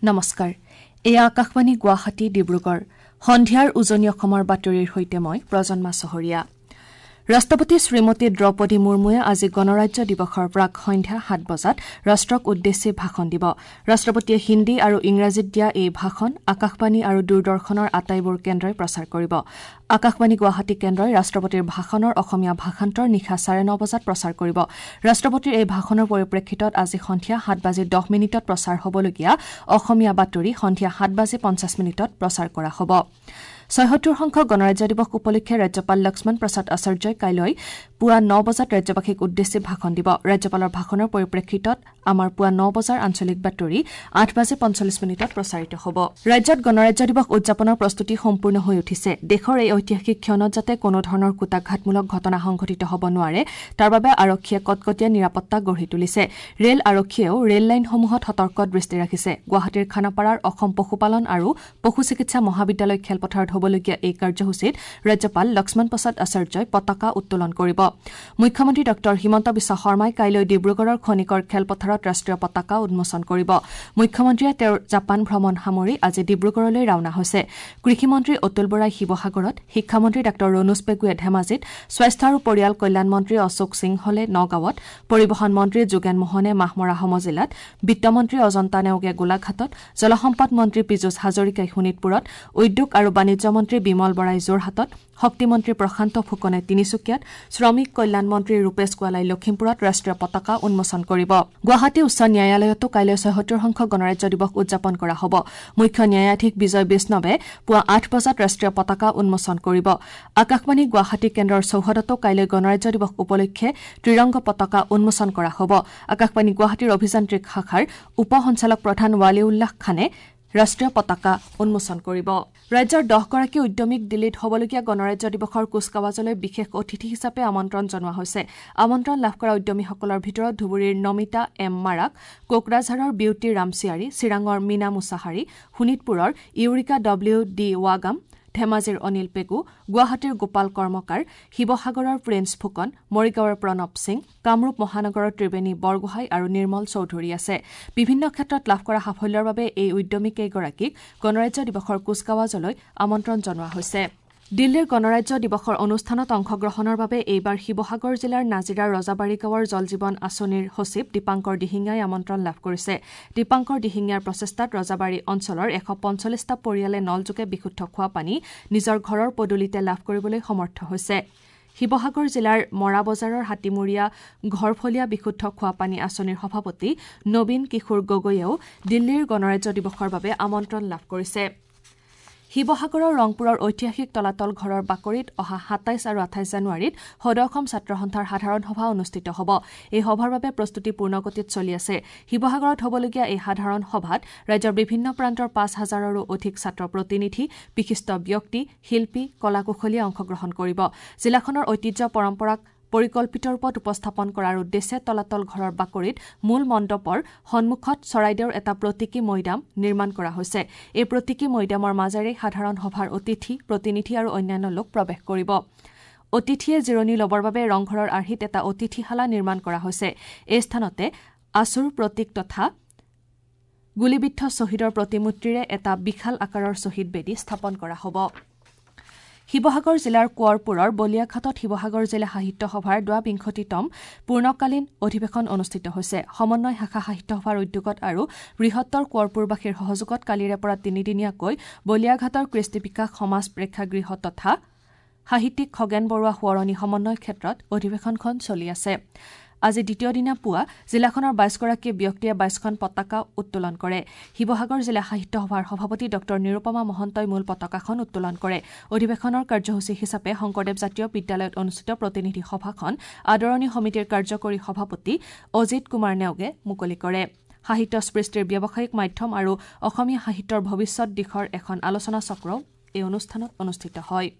নমস্কাৰ, এয়া আকাশবাণী গুৱাহাটী ডিব্ৰুগড়। সন্ধিয়াৰ উজনি অসমৰ বাতৰিৰ সৈতে মই প্ৰজন্মা চহৰীয়া। ৰাষ্ট্ৰপতি শ্ৰীমতী দ্ৰৌপদী মুৰ্মুৱে আজি গণৰাজ্য দিৱসৰ প্ৰাক সন্ধ্যা ৭ বজাত ৰাষ্ট্ৰক উদ্দেশ্যি ভাষণ দিব। ৰাষ্ট্ৰপতিয়ে হিন্দী আৰু ইংৰাজীত দিয়া এই ভাষণ আকাশবাণী আৰু দূৰদৰ্শনৰ আটাইবোৰ কেন্দ্ৰই প্ৰচাৰ কৰিব। আকাশবাণী গুৱাহাটী কেন্দ্ৰই ৰাষ্ট্ৰপতিৰ ভাষণৰ অসমীয়া ভাষান্তৰ নিশা ৯:৩০ বজাত প্ৰচাৰ কৰিব। ৰাষ্ট্ৰপতিৰ এই ভাষণৰ পৰিপ্ৰেক্ষিতত আজি সন্ধিয়া ৭:১০ প্ৰচাৰ হ'বলগীয়া অসমীয়া বাতৰি সন্ধিয়া ৭:৫০ প্ৰচাৰ কৰা হ'ব। ৭৬ সংখ্যক গণৰাজ্য দিৱস উপলক্ষে ৰাজ্যপাল লক্ষ্মণ প্ৰসাদ আচাৰ্যই কাইলৈ পুৱা ৯ বজাত ৰাজ্যবাসীক উদ্দেশ্যি ভাষণ দিব। ৰাজ্যপালৰ ভাষণৰ পৰিপ্ৰেক্ষিতত আমাৰ পুৱা ৯ বজাৰ আঞ্চলিক বাতৰি ৮:৪৫ প্ৰচাৰিত হ'ব। ৰাজ্যত গণৰাজ্য দিৱস উদযাপনৰ প্ৰস্তুতি সম্পূৰ্ণ হৈ উঠিছে। দেশৰ এই ঐতিহাসিক ক্ষণত যাতে কোনো ধৰণৰ কূটাঘাতমূলক ঘটনা সংঘটিত হ'ব নোৱাৰে তাৰ বাবে আৰক্ষীয়ে কটকটীয়া নিৰাপত্তা গঢ়ি তুলিছে। ৰেল আৰক্ষীয়েও ৰেল লাইনসমূহত সতৰ্ক দৃষ্টি ৰাখিছে। গুৱাহাটীৰ খানাপাৰাৰ অসম পশুপালন আৰু পশু চিকিৎসা মহাবিদ্যালয় খেলপথাৰত হ'বলগীয়া এই কাৰ্যসূচীত ৰাজ্যপাল লক্ষ্মণ প্ৰসাদ আচাৰ্যই পতাকা উত্তোলন কৰিব। মুখ্যমন্ত্ৰী ডঃ হিমন্ত বিশ্ব শৰ্মাই কাইলৈ ডিব্ৰুগড়ৰ খনিকৰ খেলপথাৰত ৰাষ্ট্ৰীয় পতাকা উন্মোচন কৰিব। মুখ্যমন্ত্ৰীয়ে তেওঁৰ জাপান ভ্ৰমণ সামৰি আজি ডিব্ৰুগড়লৈ ৰাওনা হৈছে। কৃষিমন্ত্ৰী অতুল বৰাই শিৱসাগৰত, শিক্ষামন্ত্ৰী ডাঃ ৰণোজ পেগুৱে ধেমাজিত, স্বাস্থ্য আৰু পৰিয়াল কল্যাণ মন্ত্ৰী অশোক সিংহলে নগাঁৱত, পৰিবহণ মন্ত্ৰী যোগেন মোহনে মাহমৰা সমজিলাত, বিত্তমন্ত্ৰী অজন্তা নেওগে গোলাঘাটত, জলসম্পদ মন্ত্ৰী পীযুষ হাজৰিকাই শোণিতপুৰত, উদ্যোগ আৰু বাণিজ্য মন্ত্ৰী বিমল বৰাই যোৰহাটত, শক্তিমন্ত্ৰী প্ৰশান্ত ফুকনে তিনিচুকীয়াত, শ্ৰমিক কল্যাণ মন্ত্ৰী ৰূপেশ গোৱালাই লখিমপুৰত ৰাষ্ট্ৰীয় পতাকা উন্মোচন কৰিব। গুৱাহাটী উচ্চ ন্যায়ালয়তো কাইলৈ ৭৬ সংখ্যক গণৰাজ্য দিৱস উদযাপন কৰা হ'ব। মুখ্য ন্যায়াধীশ বিজয় বিষ্ণৱে পুৱা ৮ বজাত ৰাষ্ট্ৰীয় পতাকা উন্মোচন কৰিব। আকাশবাণী গুৱাহাটী কেন্দ্ৰৰ চৌহদতো কাইলৈ গণৰাজ্য দিৱস উপলক্ষে ত্ৰিৰংগ পতাকা উন্মোচন কৰা হ'ব। আকাশবাণী গুৱাহাটীৰ অভিযান্ত্ৰিক শাখাৰ উপ সঞ্চালক প্ৰধান ৱালিউল্লাহ খানে ৰাষ্ট্ৰীয় পতাকা উন্মোচন কৰিব। ৰাজ্যৰ ১০গৰাকী উদ্যমীক দিল্লীত হ'বলগীয়া গণৰাজ্য দিৱসৰ কুচকাৱাজলৈ বিশেষ অতিথি হিচাপে আমন্ত্ৰণ জনোৱা হৈছে। আমন্ত্ৰণ লাভ কৰা উদ্যমীসকলৰ ভিতৰত ধুবুৰীৰ নমিতা এম মাৰাক, কোকৰাঝাৰৰ বিউটি ৰামচিয়াৰী, চিৰাঙৰ মীনা মুছাহাৰী, শোণিতপুৰৰ ইউৰিকা ডব্লিউ ডি ৱাগাম, ধেমাজিৰ অনিল পেগু, গুৱাহাটীৰ গোপাল কৰ্মকাৰ, শিৱসাগৰৰ প্ৰিন্স ফুকন, মৰিগাঁৱৰ প্ৰণৱ সিং, কামৰূপ মহানগৰৰ ত্ৰিবেণী বৰগোহাঁই আৰু নিৰ্মল চৌধুৰী আছে। বিভিন্ন ক্ষেত্ৰত লাভ কৰা সাফল্যৰ বাবে এই উদ্যমীকেইগৰাকীক গণৰাজ্য দিৱসৰ কুচকাৱাজলৈ আমন্ত্ৰণ জনোৱা হৈছে। দিল্লীৰ গণৰাজ্য দিৱসৰ অনুষ্ঠানত অংশগ্ৰহণৰ বাবে এইবাৰ শিৱসাগৰ জিলাৰ নাজিৰাৰ ৰজাবাৰী গাঁৱৰ জল জীৱন আঁচনিৰ সচিব দীপাংকৰ দিহিঙীয়াই আমন্ত্ৰণ লাভ কৰিছে। দীপাংকৰ দিহিঙীয়াৰ প্ৰচেষ্টাত ৰজাবাৰী অঞ্চলৰ ১৪৫টা পৰিয়ালে নলযোগে বিশুদ্ধ খোৱাপানী নিজৰ ঘৰৰ পদূলিতে লাভ কৰিবলৈ সমৰ্থ হৈছে। শিৱসাগৰ জিলাৰ মৰাবজাৰৰ হাতীমূৰীয়া ঘৰফলীয়া বিশুদ্ধ খোৱাপানী আঁচনিৰ সভাপতি নবীন কিশোৰ গগৈয়েও দিল্লীৰ গণৰাজ্য দিৱসৰ বাবে আমন্ত্ৰণ লাভ কৰিছে। শিৱসাগৰৰ ৰংপুৰৰ ঐতিহাসিক তলাতল ঘৰৰ বাকৰিত অহা ২৭ আৰু ২৮ জানুৱাৰীত সদৌ অসম ছাত্ৰ সন্থাৰ সাধাৰণ সভা অনুষ্ঠিত হ'ব। এই সভাৰ বাবে প্ৰস্তুতি পূৰ্ণগতিত চলি আছে। শিৱসাগৰত হ'বলগীয়া এই সাধাৰণ সভাত ৰাজ্যৰ বিভিন্ন প্ৰান্তৰ ৫ হাজাৰৰো অধিক ছাত্ৰ প্ৰতিনিধি, বিশিষ্ট ব্যক্তি, শিল্পী, কলা কুশলীয়ে অংশগ্ৰহণ কৰিব। জিলাখনৰ ঐতিহ্য পৰম্পৰাক পৰিকল্পিত ৰূপত উপস্থাপন কৰাৰ উদ্দেশ্যে তলাতল ঘৰৰ বাকৰিত মূল মণ্ডপৰ সন্মুখত চৰাইদেউৰ এটা প্ৰতীকী মৈদাম নিৰ্মাণ কৰা হৈছে। এই প্ৰতীকী মৈদামৰ মাজেৰেই সাধাৰণ সভাৰ অতিথি, প্ৰতিনিধি আৰু অন্যান্য লোক প্ৰৱেশ কৰিব। অতিথিয়ে জিৰণি ল'বৰ বাবে ৰংঘৰৰ আৰ্হিত এটা অতিথিশালা নিৰ্মাণ কৰা হৈছে। এই স্থানতে আছুৰ প্ৰতীক তথা গুলীবিদ্ধ শ্বহীদৰ প্ৰতিমূৰ্তিৰে এটা বিশাল আকাৰৰ শ্বহীদ বেদী স্থাপন কৰা হ'ব। শিৱসাগৰ জিলাৰ কোঁৱৰপুৰৰ বলিয়াঘাটত শিৱসাগৰ জিলা সাহিত্য সভাৰ ২২তম পূৰ্ণকালীন অধিৱেশন অনুষ্ঠিত হৈছে। সমন্বয় শাখা সাহিত্য সভাৰ উদ্যোগত আৰু বৃহত্তৰ কোঁৱৰপুৰবাসীৰ সহযোগত কালিৰে পৰা তিনিদিনীয়াকৈ বলিয়াঘাটৰ কৃষ্টি বিকাশ সমাজ প্ৰেক্ষাগৃহ তথা সাহিত্যিক খগেন বৰুৱা সোঁৱৰণী সমন্বয় ক্ষেত্ৰত অধিৱেশনখন চলি আছে। আজি দ্বিতীয় দিনা পুৱা জিলাখনৰ ২২গৰাকী ব্যক্তিয়ে ২২খন পতাকা উত্তোলন কৰে। শিৱসাগৰ জিলা সাহিত্য সভাৰ সভাপতি ডঃ নিৰুপমা মহন্তই মূল পতাকাখন উত্তোলন কৰে। অধিৱেশনৰ কাৰ্যসূচী হিচাপে শংকৰদেৱ জাতীয় বিদ্যালয়ত অনুষ্ঠিত প্ৰতিনিধি সভাখন আদৰণি সমিতিৰ কাৰ্যকৰী সভাপতি অজিত কুমাৰ নেওগে মুকলি কৰে। সাহিত্য সৃষ্টিৰ ব্যৱসায়িক মাধ্যম আৰু অসমীয়া সাহিত্যৰ ভৱিষ্যত দিশৰ এখন আলোচনা চক্ৰও এই অনুষ্ঠানত অনুষ্ঠিত হয়।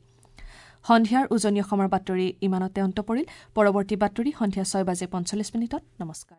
সন্ধিয়াৰ উজনি অসমৰ বাতৰি ইমানতে অন্ত পৰিল। পৰৱৰ্তী বাতৰি সন্ধিয়া ৬:৪৫। নমস্কাৰ।